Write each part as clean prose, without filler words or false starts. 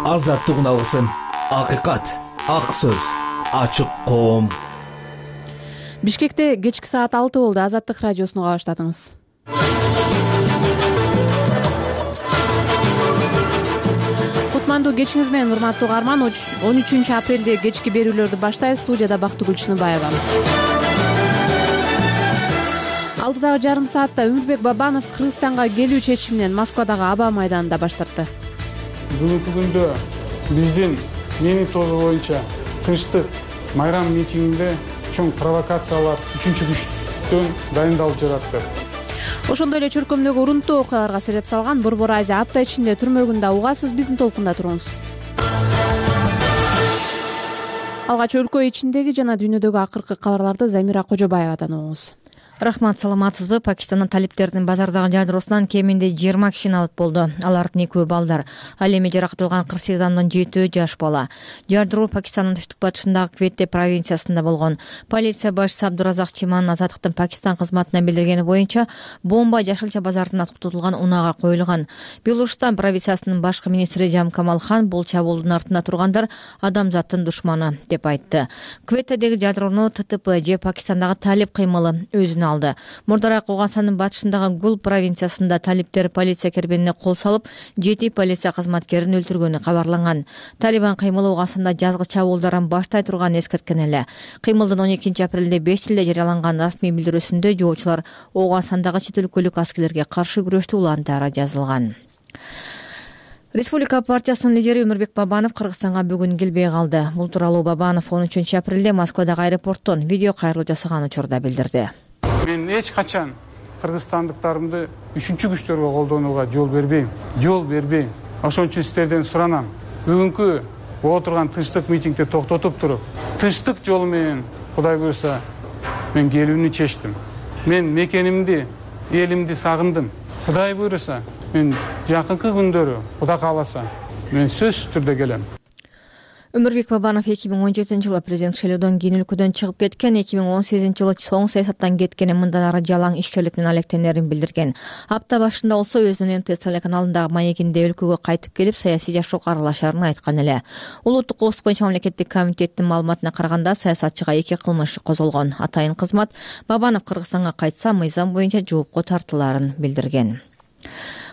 Азаттык алгысым, акыйкат, ак сөз, ачык коом. Бишкекте кечки саат 6 болду. Азаттык радиосуну уга баштадыңыз. Кутмандуу кечиңиз менен, урматтуу угарман. 13 апрелде кечки берүүлөрдү баштайбыз. Студияда Бактыгүл Чыныбаева. Алдыдагы жарым саатта Өмүрбек Бабанов Кыргызстанга келүү чечиминен Москвадагы аба майданында баш тартты. Бүгүнкү күндө биздин менин тобу боюнча тынчтык майрам митингинде чоң провокациялар үчүнчү күчтөн дайындалып жатты. Ошондой эле чөркөмдөгү урунттуу окуяларга себеп салган Борбор Азия апта ичинде түрмөгүндө угасыз. Биздин толкунда туруңуз. Алгач өлкө ичиндеги жана дүйнөдөгү акыркы кабарларды Замира Кожобаевадан угуңуз. Рахмат, саламатсызбы? Пакистандын талиптердин базардагы жадросунан кеминде 20 киши набыт болду. Алардын экөө балдар. Ал эми жаракатылган 48 адамдын 7 жаш бала. Жардыруу Пакистандын түштүк батышындагы Кветте провинциясында болгон. Полиция башчысы Абдуразак Чиман Азаттыктын Пакистан кызматына билдиргени боюнча бомба Жашылча базарында тутулган унаага коюлган. Белужстан провинциясынын башкы министри Жам Камал Хан бул чабуулдун артында тургандар адамзаттын душманы деп айтты. Кветтедеги жадыроону ТТП же Пакистандагы талип кыймылы өзүнө алды. Мурдараак Оогандын батышындагы Гул провинциясында талиптер полиция кербенине кол салып, 7 полиция кызматкерин өлтүргөнү кабарланган. Талибан кыймылы Оогандында жазгы чабуулдардан баштай турганын эскерткен эле. Кыймылдын 12 апрелде 5 тилде жарыяланган расмий билдирүүсүндө жоочулар Оогандагы чет өлкөлүк аскерлерге каршы күрөштү улантары жазылган. Республика партиясынын лидери Өмүрбек Бабанов Кыргызстанга бүгүн келбей калды. Бул тууралуу Бабанов 13 апрелде Москвадагы аэропорттон видео кайрылуу жасаган учурда билдирди. Мен эч качан кыргызстандыктарымды үчүнчү күчтөргө колдонууга жол бербейм. Ошон үчүн сиздерден суранам. Бүгүнкү отурган тынчтык митингди токтотуп туруп, тынчтык жолу менен Кудай буйрса мен келүүнү чечтим. Мен мекенимди, элимди сагындым. Кудай буйрса мен жакынкы күндөрү, Кудай кааласа, мен сөзсүз түрдө келем. Өмүрбек Бабанов 2017 жылы президент шайлоодон кийин өлкөдөн чыгып кеткен, 2018 жылы соң саясаттан кеткени мындан ары жалаң ишкерлик менен алектенерин билдирген. Апта башында болсо өзүнүн ТС телеканалындагы маегинде өлкөгө кайтып келип, саясий жашоого аралашарын айткан эле. Улуттук коопсуздук боюнча мамлекеттик комитеттин маалыматына караганда саясатчыга 2 кылмыш козголгон. Атайын кызмат Бабанов Кыргызстанга кайтса мыйзам боюнча жоопко тартылаарын билдирген.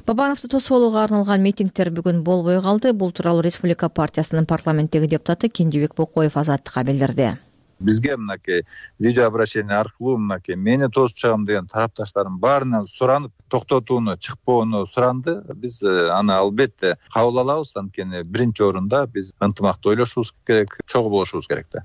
Бабановду тосуп алууга арналган митингдер бүгүн болбой калды. Бул тууралуу Республика партиясынын парламенттеги депутаты Кенжебек Бокоев Азаттыкка билдирди. Бизге мынакей видео обращение аркылуу мынакей мени тосуп чыгам деген тарапташтардын баарынан суранып, токтотууну, чыкпоону суранды. Биз аны албетте кабыл алабыз. Анткени биринчи орунда биз ынтымактуу ойлошубуз керек, чогуу болушубуз керек да.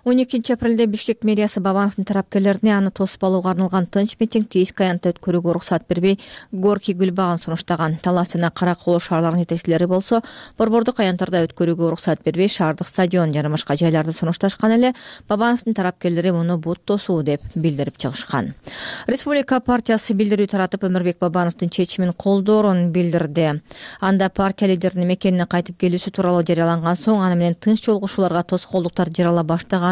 12 апрелде Бишкек мэриясы Бабановдун тарапкерлерине аны тосуп алууга арналган тынч митингди эски аянтта өткөрүүгө уруксат бербей, Горький Гүлбагын сунуштаган. Талас жана Кара-Кол шаарларынын жетекчилери болсо, борбордук аянттарда өткөрүүгө уруксат бербей, шаардык стадион жана башка жайларды сунушташкан эле. Бабановдун тарапкерлери муну бут тосуу деп билдирип чыгышкан. Республика партиясы билдирүү таратып, Өмүрбек Бабановдун чечимин колдоорун билдирди. Анда партия лидеринин мекенине кайтып келүүсү тууралуу жарыяланган соң, аны менен тынч жолгушууларга тоскоолдуктар жарыяла баштаганы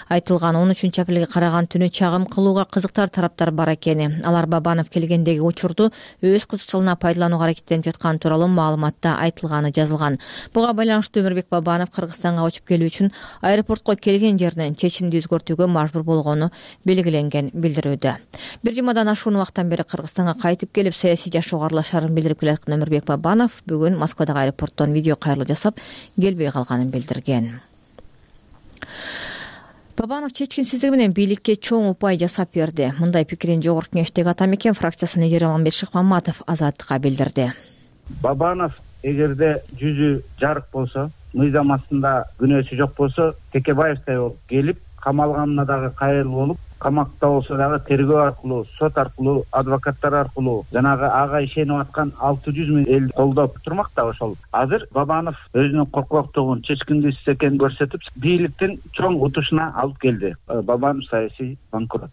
айтылган. 13 апрелге караган түнү чагым кылууга кызыктар тараптар бар экени. Алар Бабанов келгендеги учурду өз кызыкчылыгына пайдаланууга аракеттенип жаткан тууралуу маалыматта айтылганы жазылган. Буга байланыштуу Өмүрбек Бабанов Кыргызстанга учуп келүү үчүн аэропортко келген жеринен чечимди өзгөртүүгө мажбур болгону белгиленген билдирүүдө. Бир жумадан ашуун убакыттан бери Кыргызстанга кайтып келип, саясий жашоого аралашарын билдирип келаткан Өмүрбек Бабанов бүгүн Москвадагы аэропорттон видео кайрылуу жасап, келбей калганын билдирген. Бабанов чечкинсиздиги менен бийликке чоң упай жасап берди. Мындай пикирин Жогорку Кеңештеги Атамекен фракциясынын лидери Алмамбет Шыкмаматов Азаттыкка билдирди. Бабанов эгерде жүзү жарык болсо, мыйзам астында күнөөсү жок болсо, Текебаевтай болуп келип, камалганына дагы кайрыл болуп, камакта болсо дагы тергөө аркылуу, сот аркылуу, адвокаттар аркылуу жанагы ага ишенип аткан 600 000 эл колдоп турмак да ошол. Азыр Бабанов өзүнүн коркоктугун, чечкиндүүсүз экенин көрсөтүп, бийликтин чоң утушуна алып келди. Бабанов саясий банкрот.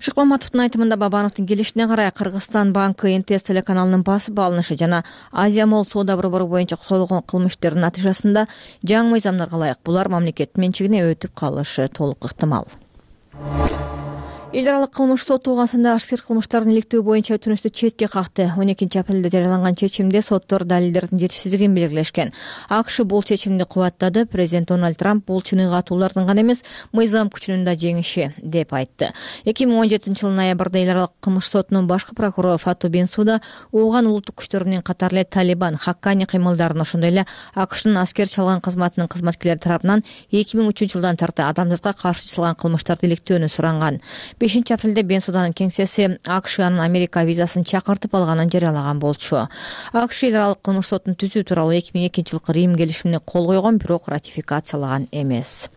Шыкмаматовдун айтымында Бабановдун келишине карай Кыргызстан банкы НТС телеканалынын басып алынышы жана Азия Молл соода борбору боюнча козголгон кылмыштардын натыйжасында жаңы мыйзамдарга ылайык булар мамлекеттин менчигине өтүп калышы толук ыктымал. Эл аралык кылмыш сот туугансында ашкер кылмыштардын иликтөө боюнча өтүнүштү четке какты. 12 апрелде жарыяланган чечимде соттор далилдердин жетишсиздигин белгилешкен. АКШ бул чечимди кубаттады. Президент Дональд Трамп бул чыныгы катуулардын гана эмес, мыйзам күчүнүн да жеңиши деп айтты. 2017 ноябрда эл аралык кылмыш сотунун башкы прокурору Фату Бенсуда ооган улуттук күчтөр менен катар эле Талибан, Хаккани кыймылдарын, ошондой эле АКШнын аскер чалган кызматынын кызматкерлери тарабынан 2003 жылдан тарта адамзатка каршы чалган кылмыштарды иликтөөнү суранган. 5 апрелде Бенсуданын кеңсеси АКШ анын Америка визасын чакыртып алганын жарыялаган болчу. АКШ эл аралык кылмыш сотун түзүү тууралуу 2002 жылкы Рим келишимине кол койгон, бирок ратификациялаган эмес.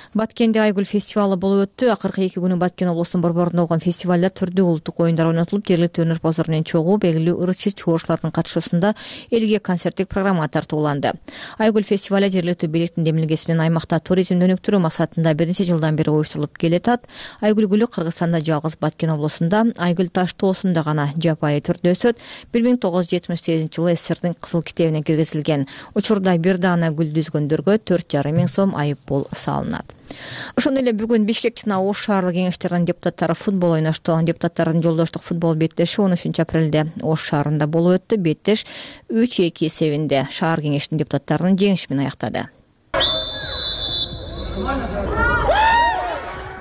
Баткенде Айгүл фестивалы болуп өттү. Акыркы 2 күнү Баткен облусунун борборунда болгон фестивалда түрдүү улуттук оюндар ойнотулуп, жергиликтүү өнөрпоздор менен чогуу белгилүү ырчы чогуушулардын катышуусунда элге концерттик программа тартууланды. Айгүл фестивалы жергиликтүү бийликтин демилгеси менен аймакта туризмди өнүктүрүү максатында бир нече жылдан бери уюштурулуп келатат. Айгүл гүлү Кыргызстанда жалгыз Баткен облусунда Айгүл таш тоосунда гана жапайы түрдө өсөт. 1978 жылы СССРдин кызыл китебине киргизилген. Учурда бир даана гүлдү үзгөндөргө 4,5 миң сом айып пул салынат. Ошондой эле бүгүн Бишкек жана Ош шаардык кеңештеринин депутаттары футбол ойношту. Депутаттардын жолдоштук футбол беттеши 13 апрелде Ош шаарында болуп өттү. Беттеш 3-2 эсебинде шаар кеңешинин депутаттарынын жеңиши менен аяктады.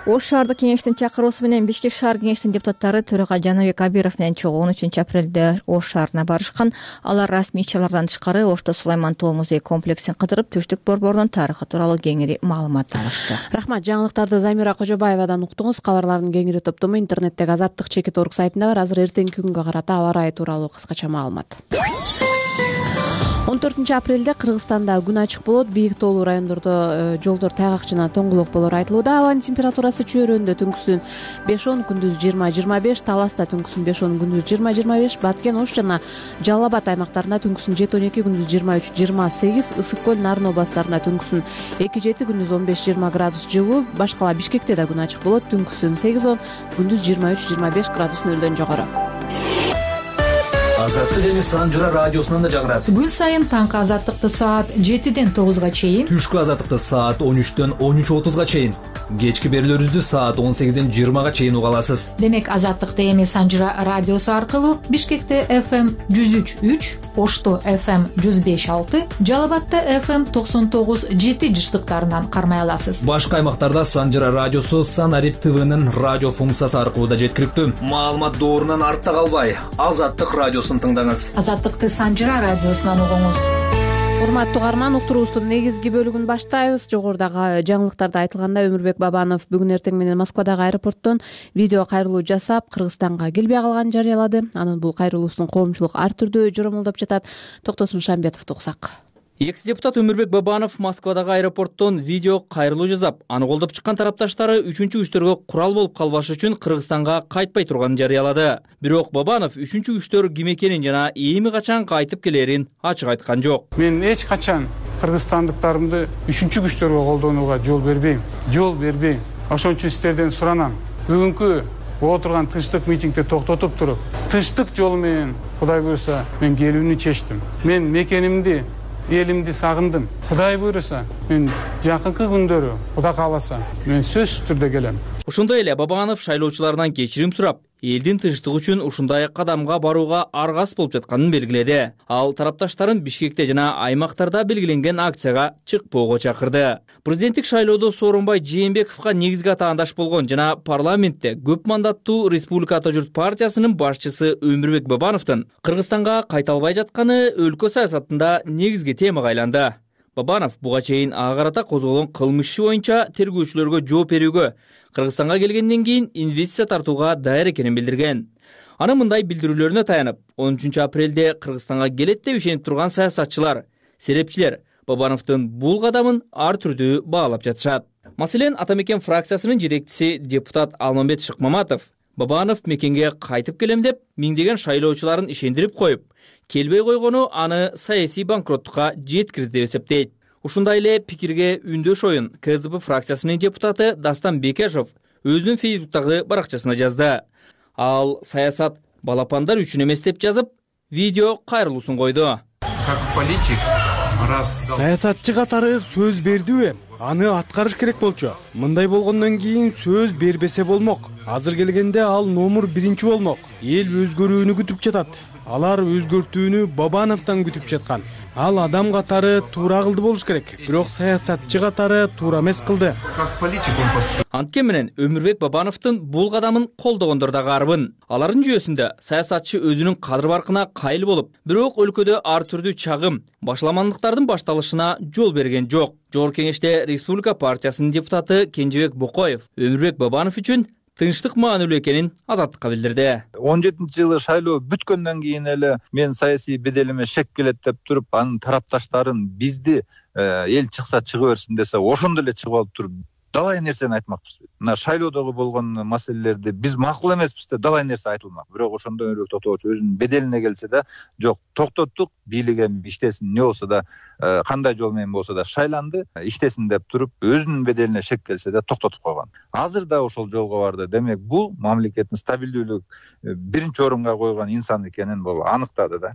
Ош шаардык кеңештин чакыруусу менен Бишкек шаар кеңештин депутаттары төрага Жанабек Абиров менен чогуу 13 апрелде Ош шаарына барышкан. Алар расмий иш-чаралардан тышкары Ошто Сулайман тоо музей комплексин кыдырып, Түштүк борборунун тарыхы тууралуу кеңири маалымат алышты. Рахмат, жаңылыктарды Замира Кожобаевадан уктуңуз. Кабарлардын кеңири топтому интернеттеги Азаттык.org сайтында бар. Азыр эртеңки күнгө карата аба ырайы тууралуу кыскача маалымат. 14 апрелде Кыргызстанда күн ачык болот. Бийик тоолуу райондордо жолдор тайгак жана тоңгулок болору айтылууда. Абанын температурасы чөйрөндө түнкүсүн 5-10, күндүз 20-25, Таласта түнкүсүн 5-10, күндүз 20-25, Баткен, Ош жана Жалал Абад аймактарында түнкүсүн 7-12, күндүз 23-28, Ысык көл, Нарын областарында түнкүсүн 2-7, күндүз 15-20 градус жылуу. Башкала Бишкекте да күн ачык болот. Түнкүсүн 8-10, күндүз 23-25 градус нөлдөн жогору. Азаттык және Санжыра радиосунан да жагырат. Күн сайын таңкы азаттыкты саат 7-ден 9-га чейин, Түшкү азаттыкты саат 13-төн 13:30-га чейин, кечки берүүлөрүбүздү саат 18-ден 20-га чейин уга аласыз. Демек азаттыкты эми Санжыра радиосу аркылуу Бишкекте FM 103.3, Ошто FM 105.6, Жалал Абадта FM 99.7 жыштыктарынан кармай аласыз. Башка аймактарда Санжыра радиосу Санарип ТВнын радио функциясы аркылуу да жеткиликтүү. Маалымат доорунан артта калбай, Азаттык радиосун тыңдаңыз. Азаттыкты Санжыра радиосунан угуңуз. Урматтуу угарман, уктуруубуздун негизги бөлүгүн баштайбыз. Жогорудагы жаңылыктарда айтылгандай, Өмүрбек Бабанов бүгүн эртең менен Москвадагы аэропорттон видео кайрылуу жасап, Кыргызстанга келбей калганын жарыялады. Анын бул кайрылуусун коомчулук ар түрдүү жоромолдоп жатат. Токтосун Шамбетовду угсак. Экс-депутат Өмүрбек Бабанов Москвадагы аэропорттон видео кайрылуу жасап, аны колдоп чыккан тарапташтары үчүнчү күчтөргө курал болуп калбаш үчүн Кыргызстанга кайтпай турганын жарыялады. Бирок Бабанов үчүнчү күчтөр ким экенин жана эми качан кайтып келерин ачык айткан жок. Мен эч качан кыргызстандыктарымды үчүнчү күчтөргө колдонууга жол бербейм. Ошон үчүн сиздерден суранам. Бүгүнкү отурган тынчтык митингди токтотуп туруп, тынчтык жолу менен Кудай буйруса мен келүүнү чечтим. Мен мекенимди, элимди сагындым. Кудай буйруса, мен жакынкы күндөрү, Кудай кааласа, мен сөзсүз түрдө келем. Ошондой эле Бабанов шайлоочулардан кечирим сурап, элдин тынчтыгы үчүн ушундай кадамга барууга аргасыз болуп жатканын белгиледи. Ал тарапташтарын Бишкекте жана аймактарда белгиленген акцияга чыкпоого чакырды. Президенттик шайлоодо Сооронбай Жээнбековго негизги атаандаш болгон жана парламентте көп мандаттуу Республика Ата журт партиясынын башчысы Өмүрбек Бабановдун Кыргызстанга кайта албай жатканы өлкө саясатында негизги темага айланды. Бабанов буга чейин ага карата козголгон кылмыш иши боюнча тергөөчүлөргө жооп берүүгө, Кыргызстанга келгенден кийин инвестиция тартууга даяр экенин билдирген. Анын мындай билдирүүлөрүнө таянып, 13 апрелде Кыргызстанга келет деп ишенип турган саясатчылар, серепчилер Бабановдун бул кадамын ар түрдүү баалап жатышат. Маселен, Ата Мекен фракциясынын жетекчиси депутат Алмамбет Шыкмаматов Бабанов мекенге кайтып келем деп миңдеген шайлоочуларын ишендирип коюп, келбей койгону аны саясий банкроттукка жеткирди деп эсептейт. Ушундай эле пикирге үндөш оюн КСДП фракциясынын депутаты Дастан Бекешов өзүнүн Фейсбуктагы баракчасына жазды. Ал саясат балапандар үчүн эмес деп жазып, видео кайрылуусун койду. Саясатчы катары сөз бердиби? аны аткарыш керек болчу. Мындай болгондон кийин сөз бербесе болмок. Азыр келгенде ал номер 1 болмок. Эл өзгөрүүнү күтүп жатат. Алар өзгөртүүнү Бабановдон күтүп жаткан. Ал адам катары туура кылды болуш керек, бирок саясатчы катары туура эмес кылды. Анткен менен Өмүрбек Бабановдун бул кадамын колдогондор да карбын. Алардын жүйөсүндө саясатчы өзүнүн кадыр баркына кайыл болуп, бирок өлкөдө ар түрдүү чагым, башламандыктардын башталышына жол берген жок. Жогорку кеңеште Республика партиясынын депутаты Кенжебек Бокоев Өмүрбек Бабанов үчүн тынчтык маанилүү экенин Азаттыкка билдирди. 17-жылы шайлоо бүткөндөн кийин эле мен саясий беделиме шек келет деп туруп, анын тарапташтарын бизди эл чыкса чыга берсин десе, ошондо эле чыгып алып туруп далай нерсени айтмакпыз. Мына шайлоодогу болгон маселелерди биз макул эмеспиз деп далай нерсе айтылмак. Бирок ошондо Өмүрбек Токтогулович өзүнүн беделине келсе да, жок, токтоттук, бийлик эми иштесин, не болсо да, кандай жол менен болсо да шайланды, иштесин деп туруп, өзүнүн беделине шек келсе да токтотуп койгон. Азыр да ошол жолго барды. Демек, бул мамлекеттин стабилдүүлүк биринчи орунга койгон инсан экенин бул аныктады да.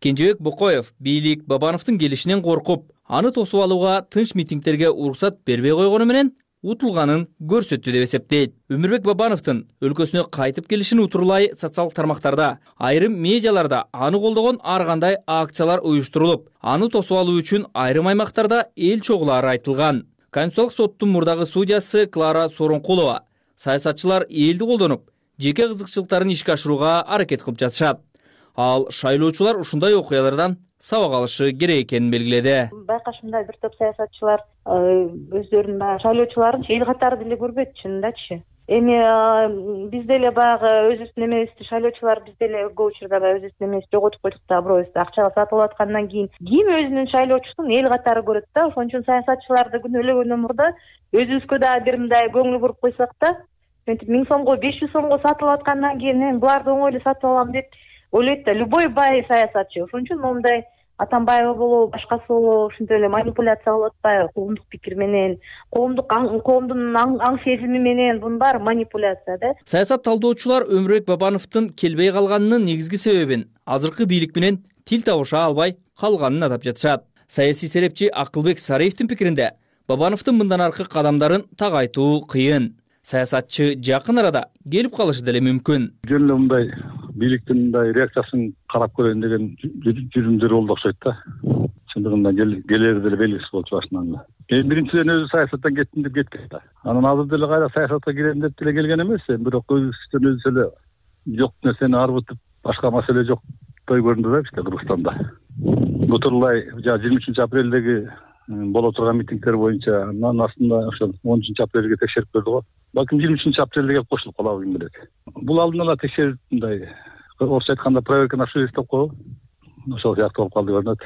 Кенжебек Бокоев бийлик Бабановдун келишинен коркуп, аны тосуп алууга тынч митингдерге уруксат бербей койгону менен утулганын көрсөттү деп эсептейт. Өмүрбек Бабановдун өлкөсүнө кайтып келишин утурлай социалдык тармактарда, айрым медиаларда аны колдогон ар кандай акциялар уюштурулуп, аны тосуп алуу үчүн айрым аймактарда эл чогулары айтылган. Конституциялык соттун мурдагы судьясы Клара Соронкулова саясатчылар элди колдонуп, жеке кызыкчылыктарын ишке ашырууга аракет кылып жатышат. Ал шайлоочулар ушундай окуялардан сабак алышы керек экенин белгиледи. Байкашымда бир топ саясатчылар өздөрүнүн шайлоочуларын эл катары деле көрбөйт, чынындачы. Эми биз деле баягы өзүбүздүн эмебизди, шайлоочулар биз деле көп учурда өзүбүздүн эмебизди жоготуп койдук да, бирөөбүздү акчага сатып алып аткандан кийин ким өзүнүн шайлоочусун эл катары көрөт да. Ошон үчүн саясатчыларды күнөөлөгөндөн мурда өзүбүзгө дагы бир мындай көңүл буруп койсок да, 1000 сомго, 500 сомго сатып алып аткандан кийин буларды оңой эле сатып алам деп ойлойт да любой бай саясатчы. Ошон үчүн момундай Атамбаева болобу, башкасы болобу, ушинтип эле манипуляция кылып атпайбы? Коомдук пикир менен, коомдун аң сезими менен, бунун баары манипуляция да. Саясат талдоочулар Өмүрбек Бабановдун келбей калганынын негизги себебин азыркы бийлик менен тил табыша албай калганын атап жатышат. Саясий серепчи Акылбек Сариевдин пикиринде, Бабановдун мындан аркы кадамдарын так айтуу кыйын. Саясатчы жакын арада келип калышы деле мүмкүн. Жөн эле мындай бийликтин мындай реакциясын карап көрөйүн деген жүрүмдөр болду окшойт да. Чындыгында келери деле белгисиз болчу башынан. Биринчиден өзү саясаттан кеттим деп кеткен да. Анан азыр деле кайра саясатка кирем деп деле келген эмес, бирок өзүнүн өзү эле жок нерсени арбытып, башка маселе жоктой көрүндү да бизде Кыргызстанда. Бутурлай 23-апрелдеги боло турган митингдер боюнча анын астында ошол 10-апрелге текшерип көрдү го. Балким 23-апрелде келип кошулуп калабы ким билет. Бул алдын ала текшерип мындай орусча айтканда проверка на совесть деп коебу. Ошол сыяктуу болуп калды көрүнөт.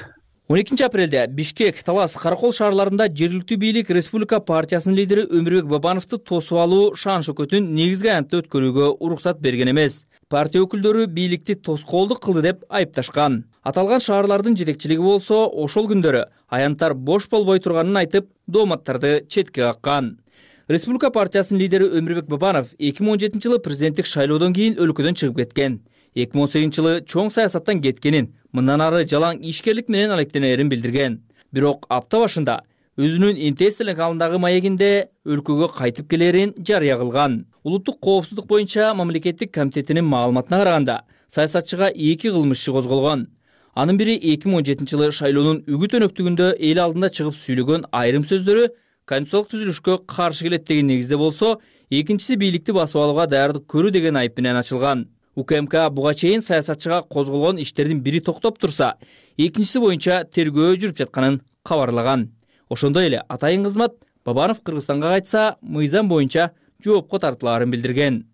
12-апрелде Бишкек, Талас, Каракол шаарларында жергиликтүү бийлик Республика партиясынын лидери Өмүрбек Бабановду тосуп алуу шан шөкөтүн негизги аянтта өткөрүүгө уруксат берген эмес. Партия өкүлдөрү бийликти тоскоолдук кылды деп айыпташкан. Аталган шаарлардын жетекчилиги болсо ошол күндөрү аянттар бош болбой турганын айтып, дооматтарды четке каккан. Республика партиясынын лидери Өмүрбек Бабанов 2017-жылы президенттик шайлоодон кийин өлкөдөн чыгып кеткен. 2018-жылы чоң саясаттан кеткенин, мындан ары жалаң ишкерлик менен алектенерин билдирген. Бирок апта башында өзүнүн НТС телеканалындагы маегинде өлкөгө кайтып келерин жарыя кылган. Улуттук коопсуздук боюнча мамлекеттик комитетинин маалыматына караганда, саясатчыга 2 кылмыш иши козголгон. Анын бири 2017-жылы шайлоонун үгүт өнөктүгүндө эл алдында чыгып сүйлөгөн айрым сөздөрү конституциялык түзүлүшкө каршы келет деген негизде болсо, экинчиси бийликти басып алууга даярдык көрүү деген айып менен ачылган. УКМК буга чейин саясатчыга козголгон иштердин бири токтоп турса, экинчиси боюнча тергөө жүрүп жатканын кабарлаган. Ошондой эле атайын кызмат Бабанов Кыргызстанга кайтса, мыйзам боюнча жоопко тартылаарын билдирген.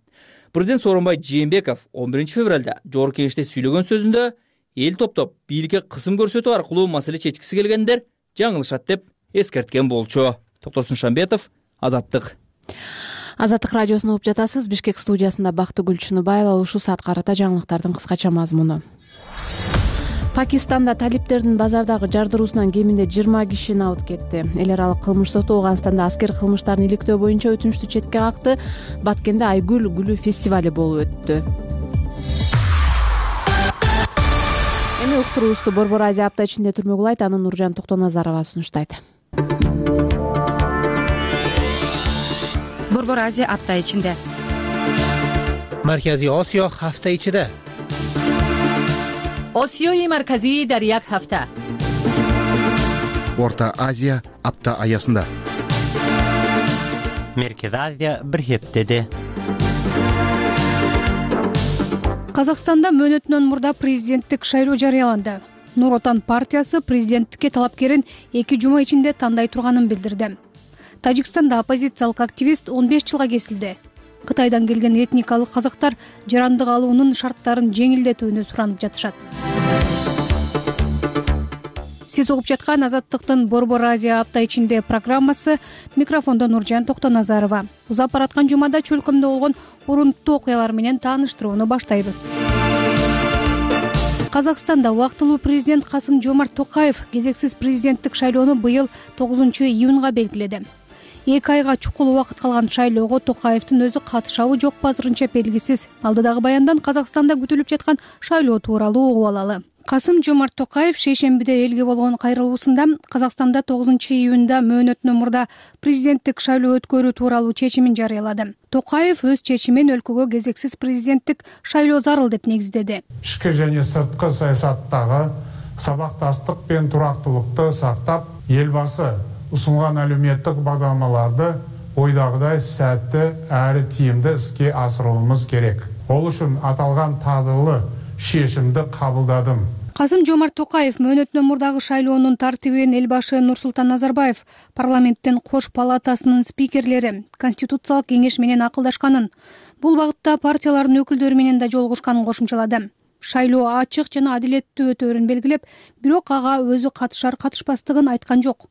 Президент Сооронбай Жээнбеков 11 февралда жогорку кеңеште сүйлөгөн сөзүндө эл топтоп бийликке кысым көрсөтүү аркылуу маселе чечкиси келгендер жаңылышат деп эскерткен болчу. Токтосун Шамбетов, Азаттык. Азаттык радиосун угуп жатасыз. Бишкек студиясында Бактыгүл Чыныбаева. Ушул саат карата жаңылыктардын кыскача мазмуну. Пакистанда талиптердин базардагы жардыруусунан кеминде 20 киши набыт кетти. Эл аралык кылмыш соту Ооганстанда аскер кылмыштарын иликтөө боюнча өтүнүштү четке какты. Баткенде Айгүл гүлү фестивали болуп өттү. Эми уктуруубузду Борбор Азия апта ичинде түрмөгүлайт, аны Нуржан Токтоназарова сунуштайт. Борбор Азия апта ичинде. Марказий Осиё ҳафта ичида. Осиёи марказӣ дар як ҳафта. Орта Азия апта аясында. Меркези Азия бир хептеде. Казакстанда мөөнөтүнөн мурда президенттик шайлоо жарыяланды. Нур Отан партиясы президенттикке талапкерин 2 жума ичинде тандай турганын билдирди. Тажикстанда оппозициялык активист 15 жылга кесилди. Кытайдан келген этникалык казактар жарандык алуунун шарттарын жеңилдетүүнү суранып жатышат. Сиз угуп жаткан Азаттыктын Борбор Азия апта ичинде программасы. Микрофондо Нуржан Токтоназарова. Узап бараткан жумада чөлкөмдө болгон урунттуу окуялар менен тааныштырууну баштайбыз. Казакстанда убактылуу президент Касым-Жомарт Токаев кезексиз президенттик шайлоону быйыл 9-июнга белгиледи. 2 айга чукул убакыт калган шайлоого Токаевдин өзү катышабы жокпу азырынча белгисиз. Алдыдагы баяндан Казакстанда күтүлүп жаткан шайлоо тууралуу угуп алалы. Касым-Жомарт Токаев шейшембиде элге болгон кайрылуусунда Казакстанда 9-июнда мөөнөтүнөн мурда президенттик шайлоо өткөрүү тууралуу чечимин жарыялады. Токаев өз чечимин өлкөгө кезексиз президенттик шайлоо зарыл деп негиздеди. Ички жана сырткы саясаттагы сабакташтык пен турактуулукту сактап, элбасы усунган әлеуметтик бадамаларды ойдагыдай сәтті әрі тиімді іске асыруымыз керек. Ол үшін аталган тагдылы шешимди кабылдадым. Касым-Жомарт Токаев мөөнөтүнөн мурдагы шайлоонун тартибин элбашы Нурсултан Назарбаев парламенттин кош палатасынын спикерлери Конституциялык кеңеш менен акылдашканын, бул багытта партиялардын өкүлдөрү менен да жолугушканын кошумчалады. Шайлоо ачык жана адилеттүү өтөөрүн белгилеп, бирок ага өзү катышпастыгын айткан жок.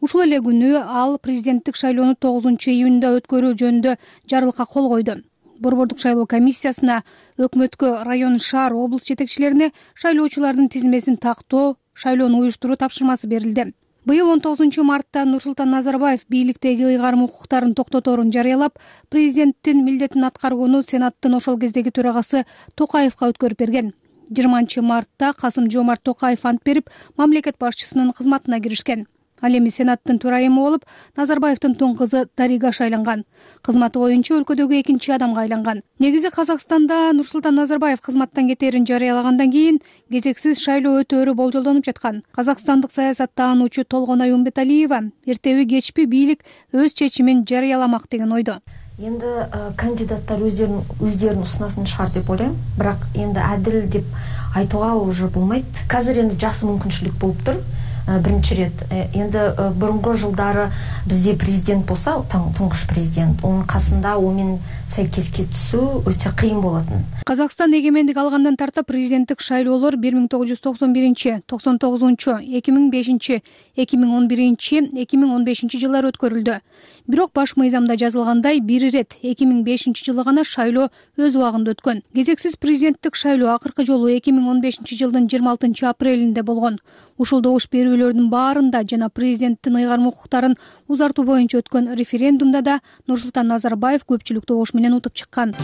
Ушул эле күнү ал президенттик шайлоону 9-июнда өткөрүү жөнүндө жарлыкка кол койду. Борбордук шайлоо комиссиясына, өкмөткө, район, шаар, облус жетекчилерине шайлоочулардын тизмесин тактоо, шайлоону уюштуруу тапшырмасы берилди. Быйыл 19-мартта Нурсултан Назарбаев бийликтеги ыйгарым укуктарын токтоторун жарыялап, президенттин милдетин аткарууну Сенаттын ошол кездеги төрагасы Токаевка өткөрүп берген. 20-мартта Касым-Жомарт Токаев ант берип, мамлекет башчысынын кызматына киришкен. Ал эми Сенаттын төрайымы болуп, Назарбаевдин тун кызы Дарига шайланган. Кызматы боюнча өлкөдөгү экинчи адамга айланган. Негизи Казакстанда Нурсултан Назарбаев кызматтан кетээрин жарыялагандан кийин кезексиз шайлоо өтөөрү болжолдонуп жаткан. Казакстандык саясаттаануучу Толгонай Умбеталиева эртеби кечпи бийлик өз чечимин жарыяламак деген ойдо. Енді кандидаттар өздерін ұсынасын шығар деп ойлаймын, бірақ енді әділ деп айтуға уже болмайды. Қазір енді жақсы мүмкіншілік болып тұр. Бірінші рет енді бұрынғы жылдары бізде президент болса, тұңғыш президент, оның қасында онымен сәйкеске түсу өте қиын болатын. Казакстан эгемендик алгандан тарта президенттик шайлоолор 1991, 99, 2005, 2011, 2015 жылдары өткөрүлдү. Бирок баш мыйзамда жазылгандай бир ирет 2005 жылы гана шайлоо өз убагында өткөн. Кезексиз президенттик шайлоо акыркы жолу 2015 жылдын 26 апрелинде болгон. Ушул добуш берүүлөрдүн баарында жана президенттин ыйгарым укуктарын узартуу боюнча өткөн референдумда да Нурсултан Назарбаев көпчүлүк добуш менен утуп чыккан.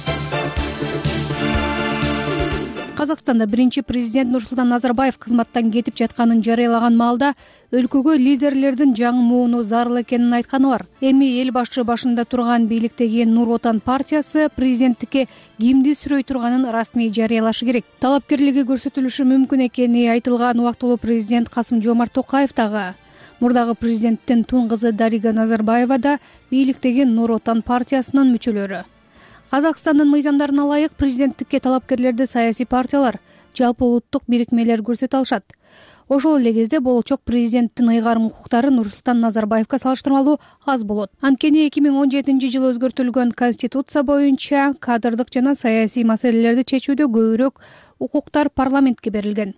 Казакстанда биринчи президент Нурсултан Назарбаев кызматтан кетип жатканын жарыялаган маалда өлкөгө лидерлердин жаңы зарыл экенин айтканы бар. Эми эл башы башында турган бийликтеги Нур Отан партиясы президенттикке кимди сүрөй турганын расмий жарыялашы керек. Талапкерлиги көрсөтүлүшү мүмкүн экени айтылган убактылуу президент Касым-Жомарт Токаев дагы, мурдагы президенттин тун кызы Дарига Назарбаева да бийликтеги Нур Отан партиясынын мүчөлөрү. Казакстандын мыйзамдарына ылайык президенттикке талапкерлерди саясий партиялар, жалпы улуттук бирикмелер көрсөтө алышат. Ошол эле кезде болочок президенттин ыйгарым укуктары Нурсултан Назарбаевка салыштырмалуу аз болот. Анткени 2017 жылы өзгөртүлгөн Конституция боюнча кадрдык жана саясий маселелерди чечүүдө көбүрөөк укуктар парламентке берилген.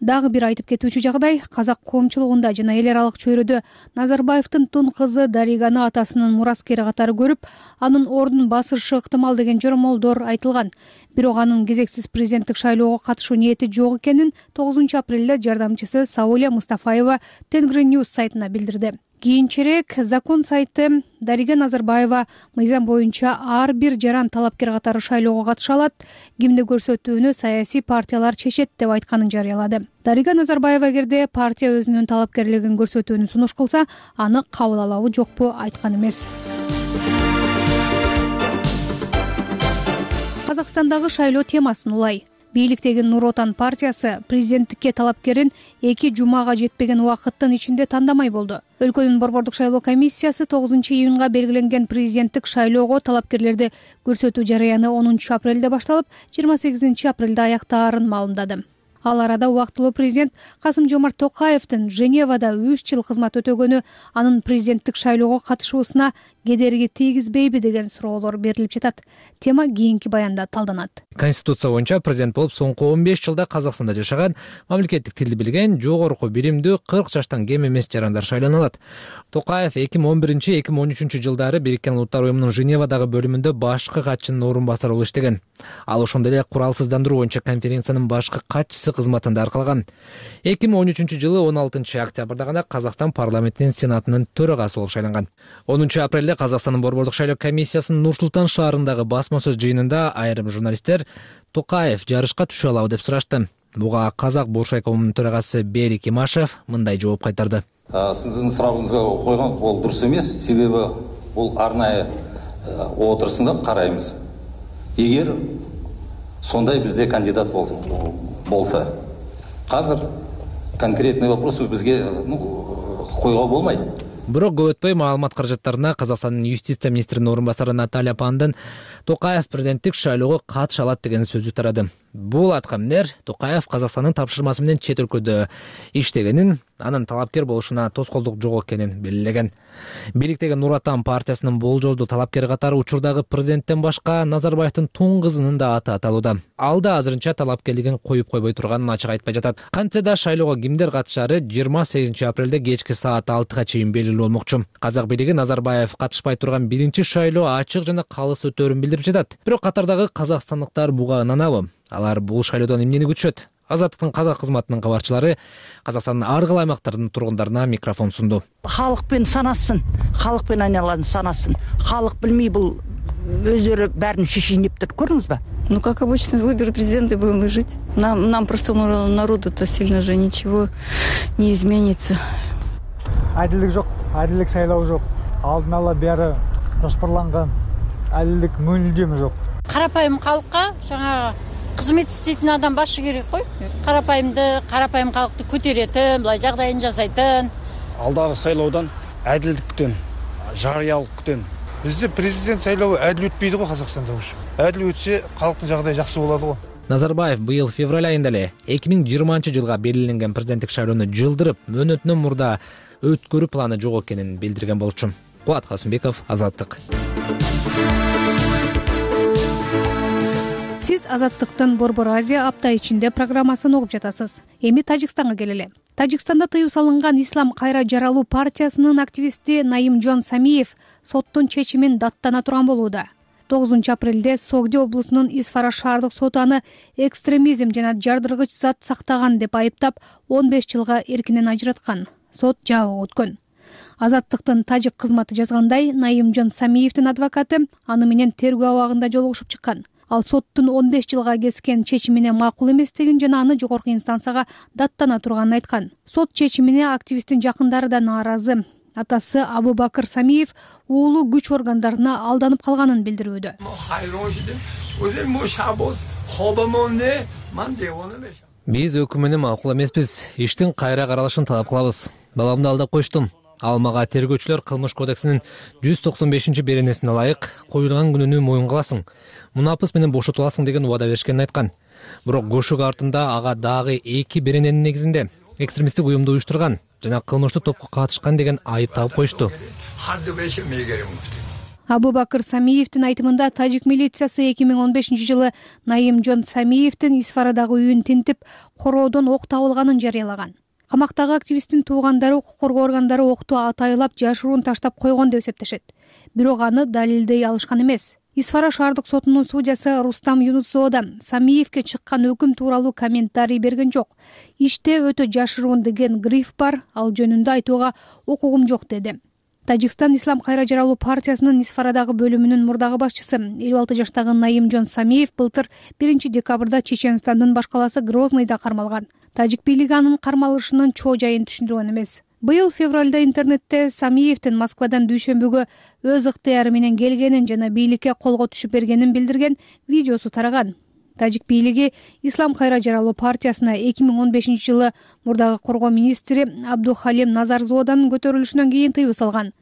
Дагы бир айтып кетүүчү жагдай, казак коомчулугунда жана эл аралык чөйрөдө Назарбаевдин тун кызы Дариганы атасынын мураскери катары көрүп, анын ордун басышы ыктымал деген жормолдор айтылган. Бирок анын кезексиз президенттик шайлоого катышуу ниети жок экенин 9 апрелде жардамчысы Сауля Мустафаева Тенгриньюз сайтына билдирди. Кийинчерээк закон сайты Дарига Назарбаева мыйзам боюнча ар бир жаран талапкер катары шайлоого катыша алат, кимди көрсөтүүнү саясий партиялар чечет деп айтканын жарыялады. Дарига Назарбаева эгерде партия өзүнүн талапкерлигин көрсөтүүнү сунуш кылса, аны кабыл алабы жокпу айткан эмес. Казакстандагы шайлоо темасын улай. Бийликтеги Нур Отан партиясы президенттикке талапкерин 2 жумага жетпеген убакыттын ичинде тандамай болду. Өлкөнүн борбордук шайлоо комиссиясы 9-июнга белгиленген президенттик шайлоого талапкерлерди көрсөтүү жараяны 10 апрелде башталып, 28 апрелде аяктаарын маалымдады. Ал арада убактылуу президент Касым-Жомарт Токаевдин Женевада 3 жыл кызмат өтөгөнү анын президенттик шайлоого катышуусуна кедерги тийгизбейби деген суроолор берилип жатат. Тема кийинки баянда талданат. Конституция боюнча президент болуп соңку 15 жылда Казакстанда жашаган, мамлекеттик тилди билген, жогорку биримдүү 40 жаштан кем эмес жарандар шайлана алат. Токаев 2011-2013 жылдары Бириккен Улуттар уюмунун Женевадагы бөлүмүндө башкы катчынын орун басары болуп иштеген. Ал ошондой эле куралсыздандыруу боюнча конференциянын башкы катчысы кызматында аркалаган. 2013 жылы 16 октябрда гана Казакстан парламентинин сенатынын төрагасы болуп шайланган. 10 апрелде Казакстандын борбордук шайлоо комиссиясынын Нур-Султан шаарындагы басма сөз жыйынында айрым журналисттер Токаев жарышка түшө алабы деп сурашты. Буга Казак Буршайкомунун төрагасы Берик Имашев мындай жооп кайтарды. Сиздин сурагыңызга койгон бул дурус эмес, себеби бул арнайы отурусунда карайбыз. Эгер сондай бизде кандидат болса, азыр конкретный вопросы бизге койго болмайт. Бирок көп өтпөй маалымат каражаттарына Казакстандын юстиция министринин орун басары Наталья Пандын Токаев президенттик шайлоого катыша алат деген сөзү тарады. Бул аткамнер Токаев Казакстандын тапшырмасы менен чет өлкөдө иштегенин, анын талапкер болушуна тоскоолдук жок экенин белгилеген. Бийликтеги Нур Отан партиясынын болжолдуу талапкери катары учурдагы президенттен башка Назарбаевдин тун кызынын да аты аталууда. Ал да азырынча талапкерлигин коюп койбой турганын ачык айтпай жатат. Кантсе да шайлоого кимдер катышары 28 апрелде кечки саат 6-га чейин белгилүү болмокчу. Казак бийлиги Назарбаев катышпай турган биринчи шайлоо ачык жана калыс өтөөрүн билдирип жатат. Бирок катардагы казакстандыктар буга ынанабы? Алар бул шайлоодон эмнени күтүшөт? Азаттыктын казак кызматынын кабарчылары Казакстандын ар кайсы аймактарынын тургундарына микрофон сунду. Халыкпен санасын, халыкпен айналаны санасын. Халык билмей бул өздөрү бәрін шешейин деп тур. Көрдүңүзбү? Ну, как обычно, выборы президента будем мы жить. Нам простому народу-то сильно же ничего не изменится. Адилдик жок, адилдик шайлоо жок. Алдын ала бери жоспарланган адилдик мүлдем жок. Карапайым калкка жаңа кызмет иштейтин адам башы керек кой. Карапайым калкты көтөрөтүн, былай жагдайын жасайтын. Алдагы шайлоодон адилдик күтөм, жарыялык күтөм. Бизде президент шайлообу адил өтпөйдү го Казакстанда ушу. Адил өтсө калктын жагдайы жакшы болот го. Назарбаев быйыл февраль айында эле 2020 жылга белгиленген президенттик шайлоону жылдырып, мөөнөтүнөн мурда өткөрүү планы жок экенин билдирген болчу. Кубат Касымбеков, Азаттык. Сиз Азаттыктын Борбор Азия апта ичинде программасын угуп жатасыз. Эми Тажикстанга келели. Тажикстанда тыюу салынган Ислам кайра жаралуу партиясынын активисти Наимжон Самиев соттун чечимин даттана турган болууда. 9 апрелде Согди облусунун Исфара шаардык соту аны экстремизм жана жардыргыч зат сактаган деп айыптап 15 жылга эркинен ажыраткан. Сот жабык өткөн. Азаттыктын тажик кызматы жазгандай, Наимжон Самиевдин адвокаты аны менен тергөө абагында жолугушуп чыккан. Ал соттун 15 жылга кескен чечимине макул эместигин жана аны жогорку инстанцияга даттана турганын айткан. Сот чечимине активисттин жакындары да нааразы. Атасы Абубакыр Самиев уулу күч органдарына алданып калганын билдирүүдө. Биз өкүм менен макул эмеспиз. Иштин кайра каралышын талап кылабыз. Баламды алдап коюштум. Ал мага тергөөчүлөр кылмыш кодексинин 195-беренесине ылайык коюлган күнүнү моюнга аласың, мунапыс менен бошотуласың деген убада беришкенин айткан. Бирок көшүк артында ага дагы 2 берененин негизинде экстремисттик уюмду уюштурган жана кылмыштык топко катышкан деген айып табып коюшту. Абубакыр Самиевдин айтымында тажик милициясы 2015 жылы Наимжон Самиевдин Исфарадагы үйүн тинтип, короодон ок табылганын жарыялаган. Камактагы активисттин туугандары укук коргоо органдары окту атайлап жашыруун таштап койгон деп эсептешет. Бирок аны далилдей алышкан эмес. Исфара шаардык сотунун судьясы Рустам Юнусова да Самиевке чыккан өкүм тууралуу комментарий берген жок. Иште өтө жашыруун деген гриф бар, ал жөнүндө айтууга укугум жок деди. Тажикстан Ислам кайра жаралуу партиясынын Исфарадагы бөлүмүнүн мурдагы башчысы 56 жаштагы Наимжон Самиев былтыр 1 декабрда Чеченстандын баш калаасы Грозныйда кармалган. Тажик бийлиги анын кармалышынын чоо жайын түшүндүргөн эмес. Быйыл февралда интернетте Самиевдин Москвадан дүйшөмбүгө өз ыктыяры менен келгенин жана бийликке колго түшүп бергенин билдирген видеосу тараган. Тажик бийлиги Ислам кайра жаралуу партиясына 2015-жылы мурдагы коргоо министри Абдухалим Назарзоданын көтөрүлүшүнөн кийин тыюу салган.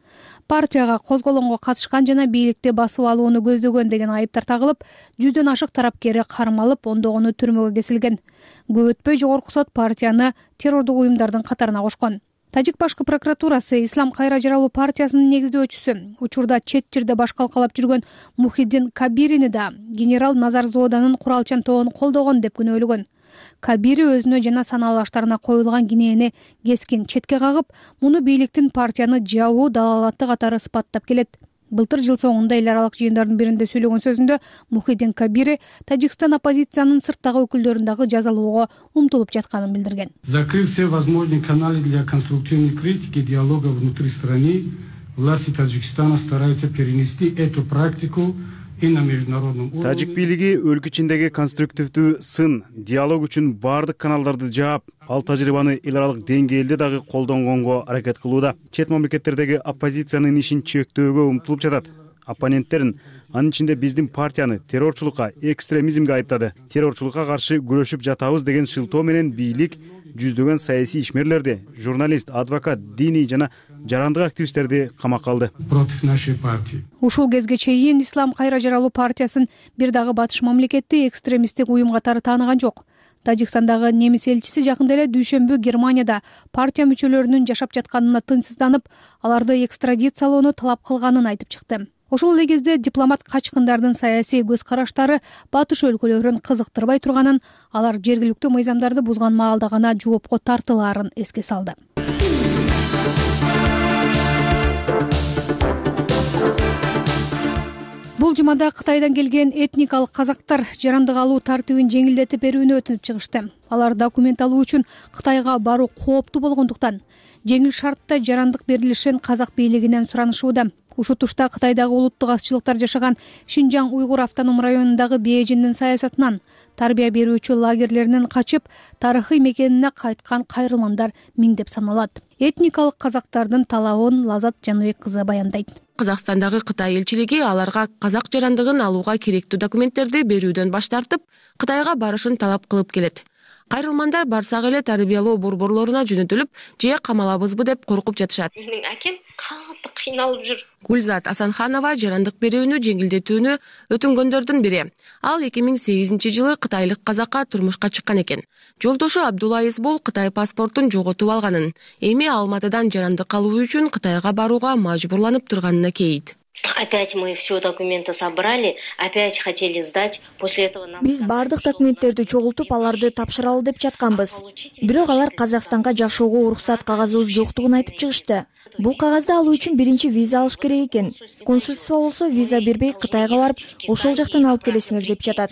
Партияга козголоңго катышкан жана бийликти басып алууну көздөгөн деген айыптар тагылып, 100дөн ашык тарапкери кармалып, ондогону түрмөгө кесилген. Көп өтпөй жогорку сот партияны террордук уюмдардын катарына кошкон. Тажик башкы прокуратурасы Ислам кайра жаралуу партиясынын негиздөөчүсү, учурда чет жерде баш калкалап жүргөн Мухиддин Кабирини да генерал Назарзоданын куралчан тобун колдогон деп күнөөлөгөн. Кабири өзүнө жана саналуу аштарына коюлган кинени кескин четке кагып, муну бийликтин партияны жабуу далалаты катары сыпаттап келет. Былтыр жыл соңунда эл аралык жыйындардын биринде сөйлөгөн сөзүндө Мухиддин Кабири Тажикстан оппозициянын сырттагы өкүлдөрүн дагы жазалоого умтулуп жатканын билдирген. Закрыв все возможные каналы для конструктивной критики и диалога внутри страны, власти Таджикистана стараются перенести эту практику и на международном уровне. Тажик бийлиги өлкө ичиндеги конструктивдүү сын, диалог үчүн бардык каналдарды жаап, ал тажрыйбаны эл аралык деңгээлде дагы колдонгонго аракет кылууда. Чет мамлекеттердеги оппозициянын ишин чектөөгө умтулуп жатат. Оппоненттерин, анын ичинде биздин партияны террорчулукка, экстремизмге айыптады. Террорчулукка каршы күрөшүп жатабыз деген шылтоо менен бийлик жүздөгөн саясий ишмерлерди, журналист, адвокат, диний жана жарандык активисттерди камакка алды. Против нашей партии. Ушул кезге чейин Ислам кайра жаралуу партиясын бир дагы батыш мамлекети экстремисттик уюм катары тааныган жок. Тажикстандагы немис элчиси жакында эле дүйшөмбү Германияда партия мүчөлөрүнүн жашап жатканына тынчсызданып, аларды экстрадициялоону талап кылганын айтып чыкты. Ошол эле кезде дипломат качкындардын саясий көз караштары батыш өлкөлөрүн кызыктырбай турганын, алар жергиликтүү мыйзамдарды бузган маалда гана жоопко тартылаарын эске салды. Бул жумада Кытайдан келген этникалык казактар жарандык алуу тартибин жеңилдетип берүүнү өтүнүп чыгышты. Алар документ алуу үчүн Кытайга баруу кооптуу болгондуктан жеңил шартта жарандык берилишин казак бийлигинен суранышууда. Ушул тушта Кытайдагы улуттук азчылыктар жашаган Шинжаң уйгур автоном районундагы Бээжиндин саясатынан, тарбия берүүчү лагерлеринен качып, тарыхый мекенине кайткан кайрылмандар миңдеп саналат. Этникалык казактардын талабын Лазат Жаныбек кызы баяндайт. Казакстандагы Кытай элчилиги аларга казак жарандыгын алууга керектүү документтерди берүүдөн баш тартып, Кытайга барышын талап кылып келет. Кайрылмандар барсак эле тарбиялоо борборлоруна жөнөтүлүп, же камалабызбы деп коркуп жатышат. Менин акем катты кыйналып жүр. Гүлзат Асанханова жарандык берүүнү жеңилдетүүнү өтүнгөндөрдүн бири. Ал 2008-жылы кытайлык казакка турмушка чыккан экен. Жолдошу Абдулла Эсбол Кытай паспортун жоготуп алганын, эми Алматыдан жарандык алуу үчүн Кытайга барууга мажбурланып турганына кейит. Опять мы все документы собрали, опять хотели сдать. После этого нам Биз бардык документтерди чогултуп, аларды тапшыралы деп жатканбыз. Бирок алар Казакстанга жашоого уруксат кагазыбыз жоктугун айтып чыгышты. Бул кагазды алуу үчүн биринчи виза алыш керек экен. Консульство болсо виза бербей Кытайга барып, ошол жактан алып келесиңер деп жатат.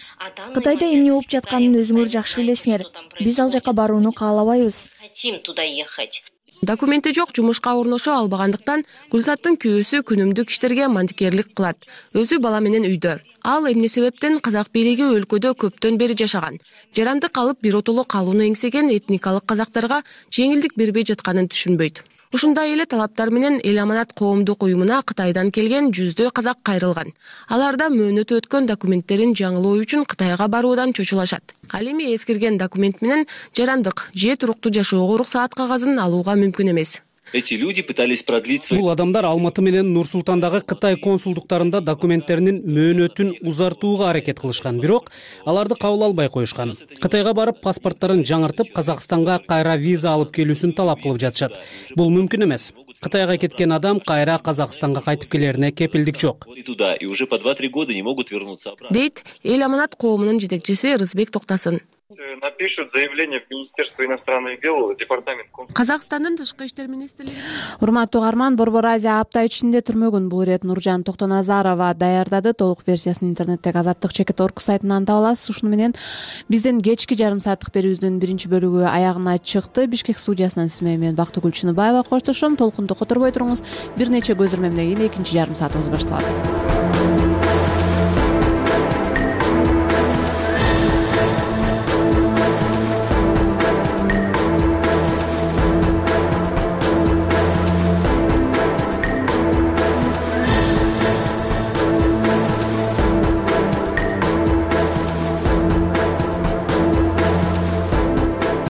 Кытайда эмне болуп жатканын өзүңөр жакшы билесиңер. Биз ал жака барууну каалабайбыз. Хотим туда ехать. Документи жок, жумушка орношо албагандыктан Гүлзаттын күйөөсү күнүмдүк иштерге мантикерлик кылат. Өзү бала менен үйдө. Ал эмне себептен казак бийлиги өлкөдө көптөн бери жашаган. Жарандык алып биротоло калууну эңсеген этникалык казактарга жеңилдик бербей жатканын түшүнбөйт. Ушундай эле талаптар менен Эл Аманат коомдук уюмуна Кытайдан келген 100 казак кайрылган. Аларда мөөнөтү өткөн документтерин жаңылоо үчүн Кытайга баруудан чочулашат. Ал эми эскирген документ менен жарандык же туруктуу жашоого уруксаат кагазын алууга мүмкүн эмес. Эти люди пытались продлить свои... Бул адамдар Алматы менен Нур-Султандагы Кытай консулдуктарында документтеринин мөөнөтүн узартууга аракет кылышкан, бирок аларды кабыл албай коюшкан. Кытайга барып паспорттарын жаңыртып, Казакстанга кайра виза алып келүүсүн талап кылып жатышат. Бул мүмкүн эмес. Кытайга кеткен адам кайра Казакстанга кайтып келерине кепилдик жок. Туда и уже по 2-3 года не могут вернуться обратно. Дейт Эл Аманат коомунун жетекчиси Рызбек Токтасын. Напишут заявление в Министерство иностранных дел, департамент. Казакстандын тышкы иштер министрлиги. Урматтуу угарман, Борбор Азия апта ичинде түрмөгүн бул ирет Нуржан Токтоназарова даярдады. Толук версиясын интернеттеги azatlyk.org сайтынан таба аласыз. Ушуну менен биздин кечки жарым сааттык берүүбүздүн биринчи бөлүгү аягына чыкты. Бишкек студиясынан сиз менен Бактыгүл Чыныбаева коштошом. Толкунду которбой туруңуз. Бир нече көзүрмөмдөн кийин экинчи жарым саатыбыз башталат.